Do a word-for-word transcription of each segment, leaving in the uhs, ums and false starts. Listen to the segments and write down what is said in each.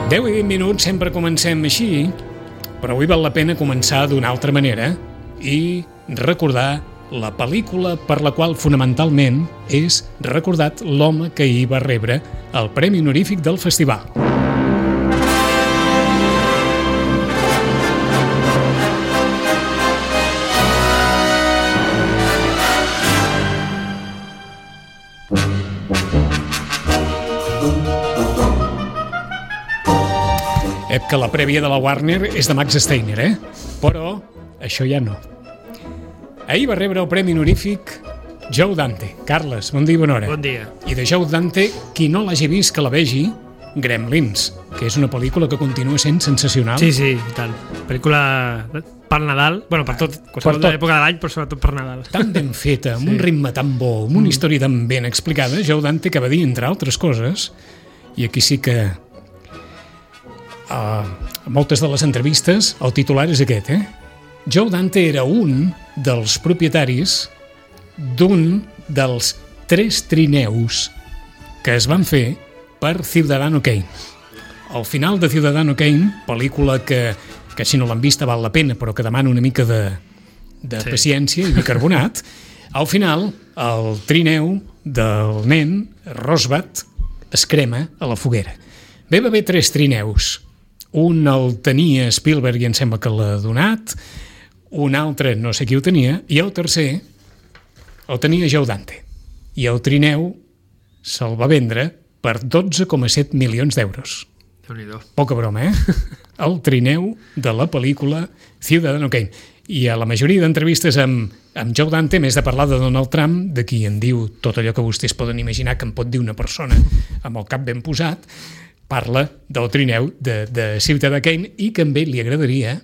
deu i vint minuts sempre comencem així, però avui val la pena començar d'una altra manera i recordar la pel·lícula per la qual fonamentalment és recordat l'home que hi va rebre el Premi Honorífic del Festival. Ep que la prèvia de la Warner és de Max Steiner, eh? Però això ja no. Ahir va rebre el Premi Honorífic Joe Dante. Carles, bon dia i bona hora. Bon dia. I de Joe Dante, qui no l'hagi vist que la vegi, Gremlins, que és una pel·lícula que continua sent sensacional. Sí, sí, i tant. Pel·lícula per Nadal, bueno, per tot, qualsevol per tot. època de l'any, però sobretot per Nadal. Tan ben feta, amb Sí. un ritme tan bo, amb una història tan ben explicada, Joe Dante que va dir, entre altres coses, i aquí sí que a moltes de les entrevistes el titular és aquest, eh? Joe Dante era un dels propietaris d'un dels tres trineus que es van fer per Ciudadano Kane. Al final de Ciudadano Kane, pel·lícula que, que si no l'han vista val la pena, però que demana una mica de, de Sí. paciència i bicarbonat, al final el trineu del nen, Rosbat, es crema a la foguera. Bé, va haver tres trineus. Un el tenia Spielberg i em sembla que l'ha donat, un altre no sé qui ho tenia, i el tercer el tenia Joe Dante. I el trineu se'l va vendre per dotze coma set milions d'euros. Déu-n'hi-do. Poca broma, eh? El trineu de la pel·lícula Ciudadano Kane. I a la majoria d'entrevistes amb, amb Joe Dante, més de parlar de Donald Trump, de qui en diu tot allò que vostès poden imaginar que en pot dir una persona amb el cap ben posat, parla del trineu de, de Ciutadà Kane i que a ell li agradaria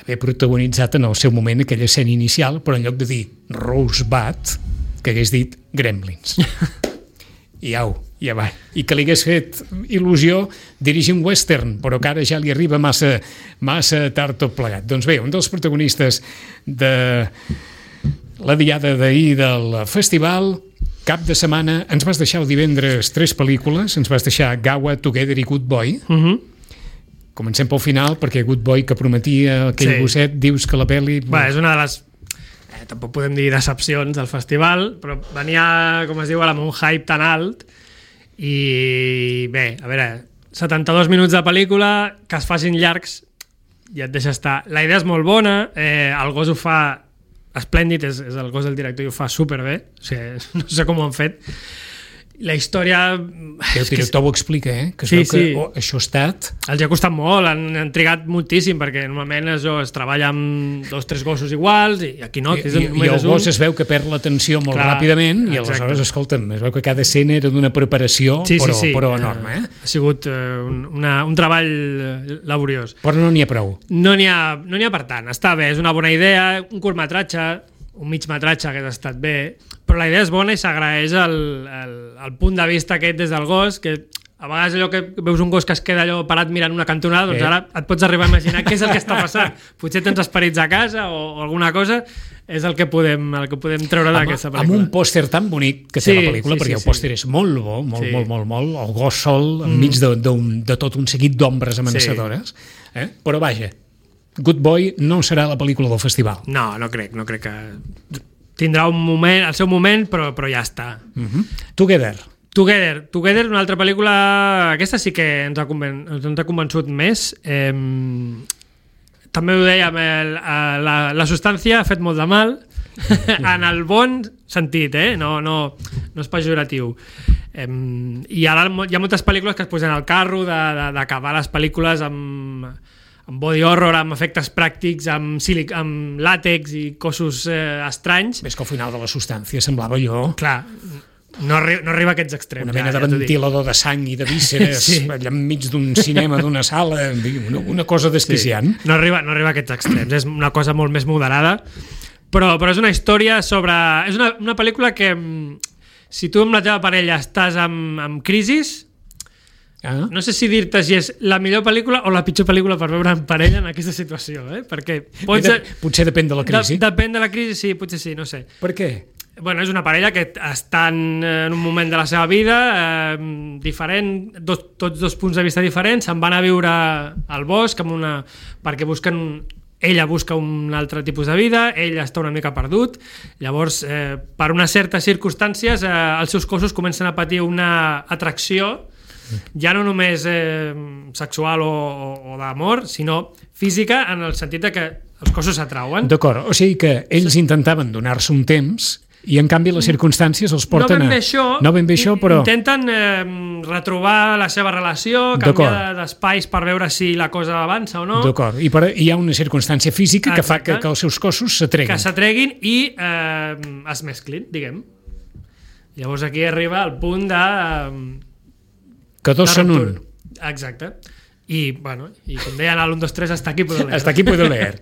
haver protagonitzat en el seu moment aquella escena inicial, però en lloc de dir Rosebud, que hagués dit Gremlins. I au, ja va. I que li hagués fet il·lusió dirigir un western, però que ara ja li arriba massa, massa tard tot plegat. Doncs bé, un dels protagonistes de la diada d'ahir del festival, cap de setmana, ens vas deixar el divendres tres pel·lícules, ens vas deixar Gawa, Together i Good Boy. Uh -huh. Comencem pel final, perquè Good Boy, que prometia aquell Sí. gosset, dius que la pel·li... Va, és una de les... Eh, tampoc podem dir decepcions del festival, però venia, com es diu, amb un hype tan alt i bé, a veure, setanta-dos minuts de pel·lícula, que es facin llargs, ja et deixa estar. La idea és molt bona, eh, el gos ho fa esplèndid, és, és el gos del director i ho fa superbé, o sigui, no sé com ho han fet. La història... El director ho explica, eh? Que es Sí, veu que sí. oh, això ha estat... Els ha costat molt, han, han trigat moltíssim, perquè normalment això es treballa amb dos o tres gossos iguals, i aquí no. I, que és i, un, i el és un... gos es veu que perd l'atenció molt Clar, ràpidament i exacte. aleshores, escolta'm, es veu que cada escena era d'una preparació, Sí, però, sí, sí. però enorme, eh? Ha sigut eh, un, una, un treball eh, laboriós. Però no n'hi ha prou. No n'hi ha, no n'hi ha per tant. Està bé, és una bona idea, un curtmetratge, un migmetratge que ha estat bé, però la idea és bona i s'agraeix el, el, el punt de vista aquest des del gos, que a vegades allò que veus un gos que es queda allò parat mirant una cantonada, doncs Eh. ara et pots arribar a imaginar què és el que està passant. Potser tens esperits a casa o, o alguna cosa, és el que podem, el que podem treure d'aquesta pel·lícula. Amb un pòster tan bonic que té Sí, la pel·lícula, sí, perquè sí, el sí. pòster és molt bo, molt, Sí. molt, molt, molt, el gos sol enmig de, de, de tot un seguit d'ombres amenaçadores, eh? Però vaja, Good Boy no serà la pel·lícula del festival. No, no crec, no crec que... Tindrà un moment, el seu moment, però, però ja està. Uh-huh. Together. Together, Together, una altra pel·lícula... Aquesta sí que ens ha, conven... ens ha convençut més. Eh... També ho dèiem, el, la, la substància ha fet molt de mal, en el bon sentit, eh? no, no, no és pejoratiu. Eh, I ara hi ha moltes pel·lícules que es posen al carro d'acabar les pel·lícules amb, amb body horror, amb efectes pràctics, amb, sílic, amb làtex i cossos eh, estranys. Ves que al final de la substància semblava allò... Clar, no, arri no arriba a aquests extrems. Una mena ja, de ja ventilador de sang i de vísceres Sí. allà enmig d'un cinema, d'una sala, una, una cosa desquiciant. Sí. No, arriba, no arriba a aquests extrems, és una cosa molt més moderada, però, però és una història sobre... És una, una pel·lícula que, si tu amb la teva parella estàs amb, amb crisis, Ah. no sé si dir-te si és la millor pel·lícula o la pitjor pel·lícula per veure en parella en aquesta situació, eh? Perquè pots... De, potser depèn de la crisi. De, depèn de la crisi, sí, potser sí, no sé. Per què? Bueno, és una parella que estan en un moment de la seva vida eh, diferent, dos, tots dos punts de vista diferents, se'n van a viure al bosc amb una, perquè busquen ella busca un altre tipus de vida, ell està una mica perdut, llavors eh, per unes certes circumstàncies eh, els seus cossos comencen a patir una atracció ja no només eh, sexual o, o, o d'amor, sinó física, en el sentit de que els cossos s'atrauen. D'acord, o sigui que ells intentaven donar-se un temps i en canvi les circumstàncies els porten no ben bé a... això, no ben bé això, però... Intenten eh, retrobar la seva relació, canviar d'espais per veure si la cosa avança o no. D'acord, i per, hi ha una circumstància física que Exacte. fa que, que els seus cossos s'atreguin. Que s'atreguin i eh, es mesclin, diguem. Llavors aquí arriba el punt de... Eh, que dos són un. Exacte. I, bueno, i com deien a l'un, dos, tres, hasta aquí puedo leer. Hasta aquí puedo leer.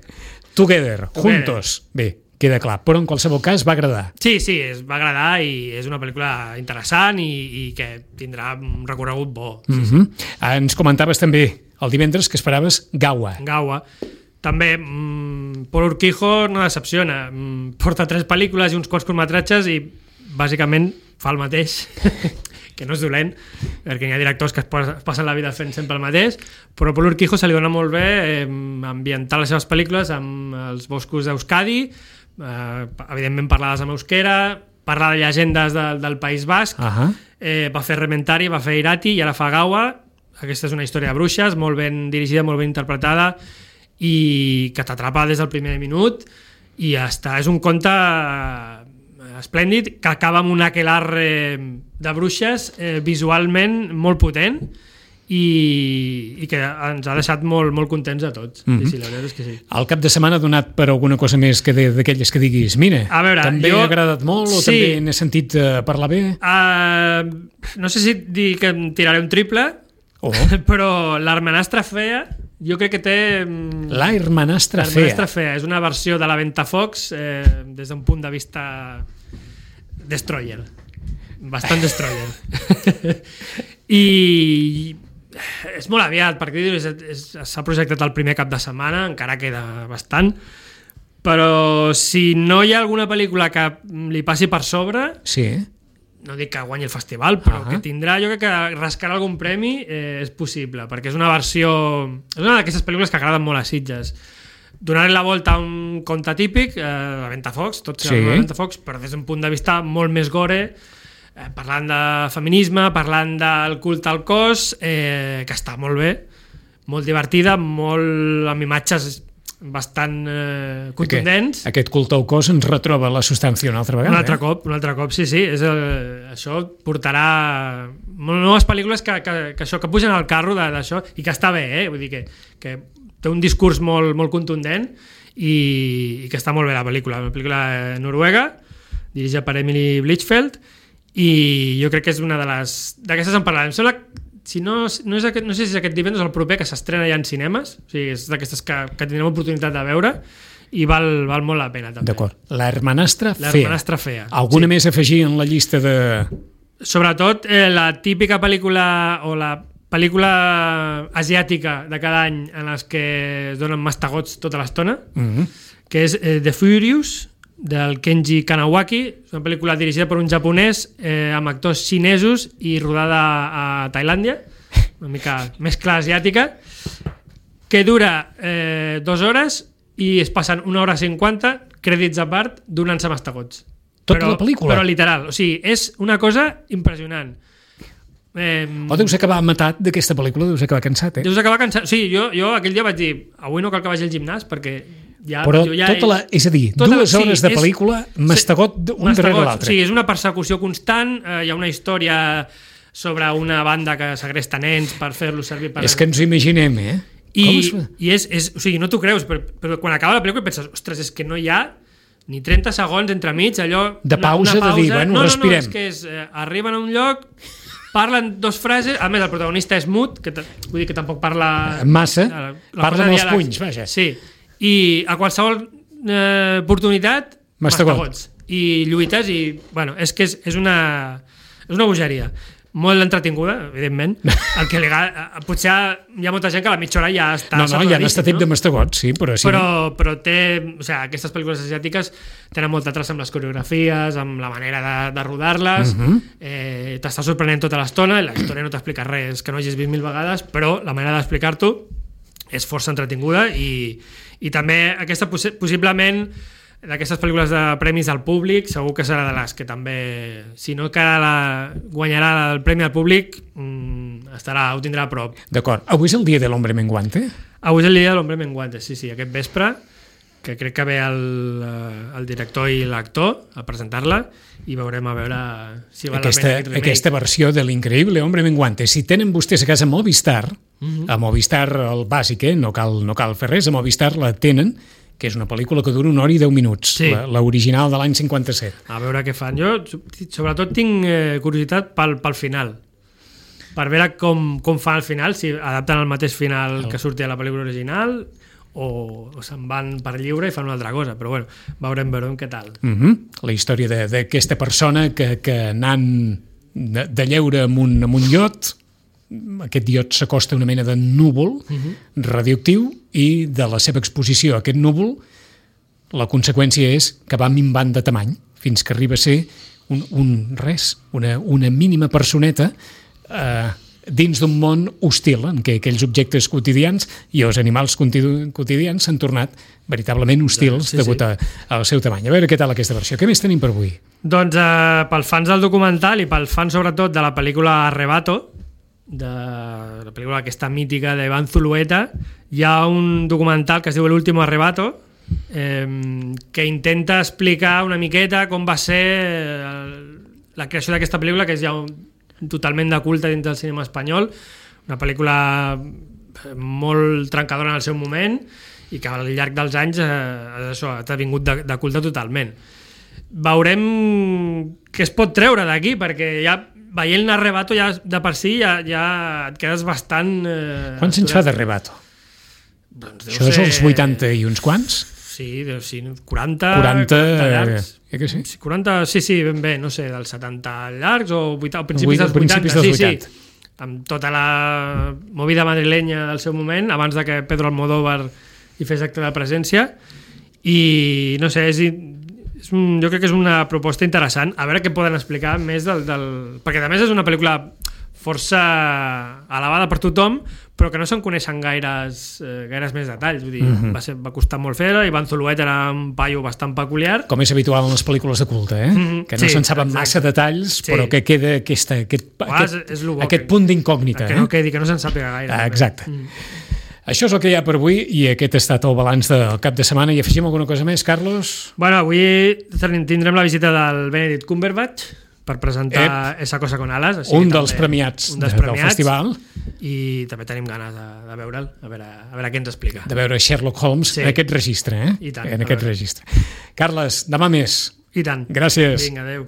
Together, juntos. Bé, queda clar, però en qualsevol cas va agradar. Sí, sí, es va agradar i és una pel·lícula interessant i, i que tindrà un recorregut bo. Sí, mm-hmm. sí. Ens comentaves també el divendres que esperaves Gaua. Gaua. També mmm, Paul Urquijo no decepciona. Mm, porta tres pel·lícules i uns quants curtmetratges i bàsicament fa el mateix. Que no és dolent, perquè hi ha directors que es passen la vida fent sempre el mateix, però Paul Urquijo se li dona molt bé eh, ambientar les seves pel·lícules amb els boscos d'Euskadi, eh, evidentment parlades en euskera, parlar de llegendes de, del País Basc, uh-huh. eh, va fer Rementari, va fer Irati i ara fa Gaua. Aquesta és una història de bruixes, molt ben dirigida, molt ben interpretada i que t'atrapa des del primer minut i està, és un conte esplèndid que acaba amb un aquelarre de bruixes eh, visualment molt potent i, i que ens ha deixat molt, molt contents a tots. Mm-hmm. Sí, sí, la veritat és que sí. El cap de setmana ha donat per alguna cosa més que d'aquelles que diguis, mira, a veure, també jo... ha agradat molt o sí. també n'he sentit uh, parlar bé? Uh, no sé si dir que em tiraré un triple, oh. però l'Hermanastra Fea jo crec que té... La Hermanastra Fea. L'Hermanastra Fea és una versió de la Ventafocs eh, des d'un punt de vista destroyer. Bastant destroyer. I és molt aviat, perquè s'ha projectat el primer cap de setmana, encara queda bastant, però si no hi ha alguna pel·lícula que li passi per sobre, sí. no dic que guanyi el festival, però uh-huh. que tindrà, jo crec que rascarà algun premi eh, és possible, perquè és una versió... És una d'aquestes pel·lícules que agraden molt a Sitges. Donaré la volta a un conte típic, eh, la Ventafocs, tot sí. la Ventafocs, però des d'un punt de vista molt més gore, eh, parlant de feminisme, parlant del culte al cos, eh, que està molt bé, molt divertida, molt amb imatges bastant eh, contundents. Aquest, aquest culte al cos ens retroba la substància una altra vegada. Un altre eh? cop, un altre cop, sí, sí. És el, això portarà noves pel·lícules que, que, que, això, que pugen al carro d'això, i que està bé, eh? Vull dir que, que té un discurs molt, molt contundent i, i que està molt bé la pel·lícula. Una pel·lícula noruega, dirigida per Emily Blichfeld, i jo crec que és una de les... D'aquestes en parlarem. Em sembla, si no, no, és aquest, no sé si és aquest divendres o el proper, que s'estrena ja en cinemes, o sigui, és d'aquestes que, que tindrem oportunitat de veure i val, val molt la pena també. D'acord. La Hermanastra Fea. La Hermanastra Fea. Alguna sí. més a afegir en la llista de... Sobretot eh, la típica pel·lícula o la pel·lícula asiàtica de cada any en les que es donen mastegots tota l'estona, mm-hmm. que és eh, The Furious, del Kenji Kanawaki. És una pel·lícula dirigida per un japonès eh, amb actors xinesos i rodada a Tailàndia, una mica mescla asiàtica, que dura eh, dues hores i es passen una hora cinquanta, crèdits a part, donant-se mastegots. Tota però, la pel·lícula? Però literal, o sigui, és una cosa impressionant. Eh, o deus acabar matat d'aquesta pel·lícula, deus acabar cansat, eh? Deus acabar cansat. Sí, jo, jo aquell dia vaig dir, avui no cal que vagi al gimnàs perquè ja... Però jo ja tota la... És a dir, tota dues la, hores sí, de pel·lícula, és, mastegot un mastegot, darrere l'altre. Sí, és una persecució constant, eh, hi ha una història sobre una banda que segresta nens per fer-los servir per... És que ens ho imaginem, eh? I, i és, és, o sigui, no t'ho creus, però, però quan acaba la pel·lícula penses, ostres, és que no hi ha ni trenta segons entremig, allò... De pausa, una, una pausa. De dir, bueno, no, respirem. No, no, és que és, eh, arriben a un lloc, parlen dos frases, a més el protagonista és mut, que vull dir que tampoc parla... Massa, la, la parla amb els punys, vaja. Sí, i a qualsevol eh, oportunitat, mastegots. I lluites, i, bueno, és que és, és, una, és una bogeria. molt entretinguda, evidentment. El que li agrada, potser hi ha molta gent que a la mitja hora ja està... No, no, ja n'està tip de mastegot, sí, però sí. Però, però té... O sigui, aquestes pel·lícules asiàtiques tenen molta traça amb les coreografies, amb la manera de, de rodar-les, uh -huh. eh, t'està sorprenent tota l'estona, i la història no t'explica res que no hagis vist mil vegades, però la manera d'explicar-t'ho és força entretinguda i, i també aquesta possi possiblement d'aquestes pel·lícules de premis al públic segur que serà de les que també, si no que la, guanyarà el premi al públic, mmm, estarà, ho tindrà a prop. D'acord. Avui és el dia de l'Hombre Menguante? Avui és el dia de l'Hombre Menguante, sí, sí, aquest vespre, que crec que ve el, el director i l'actor a presentar-la i veurem a veure si val aquesta, la pena aquest remake. Aquesta versió de l'increïble Hombre Menguante. Si tenen vostès a casa Movistar, uh -huh. a Movistar el bàsic, eh? no, cal, no cal fer res, a Movistar la tenen, que és una pel·lícula que dura una hora i deu minuts, sí. l'original de l'any cinquanta-set. A veure què fan. Jo, sobretot, tinc eh, curiositat pel, pel final, per veure com, com fan al final, si adapten el mateix final el... que sortia a la pel·lícula original o, o se'n van per lliure i fan una altra cosa, però bueno, veurem, veurem què tal. Uh -huh. La història d'aquesta persona que, que anant de, de lleure amb un, amb un iot, aquest iot s'acosta a una mena de núvol uh -huh. radioactiu i de la seva exposició a aquest núvol la conseqüència és que va minvant de tamany fins que arriba a ser un, un res, una, una mínima personeta eh, dins d'un món hostil en què aquells objectes quotidians i els animals quotidians s'han tornat veritablement hostils sí, degut sí. A, al seu tamany. A veure què tal aquesta versió. Què més tenim per avui? Doncs eh, pels fans del documental i pels fans sobretot de la pel·lícula Arrebato, de la pel·lícula aquesta mítica d'Iván Zulueta, hi ha un documental que es diu El último arrebato, eh, que intenta explicar una miqueta com va ser el, la creació d'aquesta pel·lícula, que és ja un, totalment de culte dins del cinema espanyol, una pel·lícula molt trencadora en el seu moment i que al llarg dels anys eh, això, ha vingut de, de culte totalment. Veurem què es pot treure d'aquí, perquè ja veient l'Arrebato ja de per si ja, ja et quedes bastant... Eh, Quants anys fa d'Arrebato? Doncs Això és els vuitanta i uns quants? Sí, deu, sí quaranta... quaranta, quaranta llargs. Eh, que sí? quaranta, sí, sí, ben bé, no sé, dels setanta llargs o, vuitanta, o principis dels principis vuitanta. Dels sí, vuitanta. sí, amb tota la movida madrilenya del seu moment, abans de que Pedro Almodóvar hi fes acte de presència, i no sé, és... És un, jo crec que és una proposta interessant, a veure què poden explicar més del, del... perquè a més és una pel·lícula força elevada per tothom, però que no se'n coneixen gaires, eh, gaires més detalls. Vull dir, uh -huh. va, ser, va costar molt fer-la, Iván Zulueta era un paio bastant peculiar. Com és habitual en les pel·lícules de culte, eh? Uh -huh. Que no sí, se'n saben exacte. Massa detalls, sí. Però que queda aquesta, aquest, aquest, és, és bo, aquest que, punt d'incògnita. Que eh? no quedi, que no se'n sàpiga gaire. Ah, exacte. Mm. Això és el que hi ha per avui i aquest ha estat el balanç del cap de setmana. I afegim alguna cosa més, Carlos? Bueno, avui tindrem la visita del Benedict Cumberbatch per presentar Ep. Esa cosa con alas. Així un dels premiats, un dels de, premiats del festival. I també tenim ganes de, de veure'l, a veure, a veure què ens explica. De veure Sherlock Holmes sí. En aquest registre, eh? I tant. En aquest registre. Carles, demà més. I tant. Gràcies. Vinga, adeu.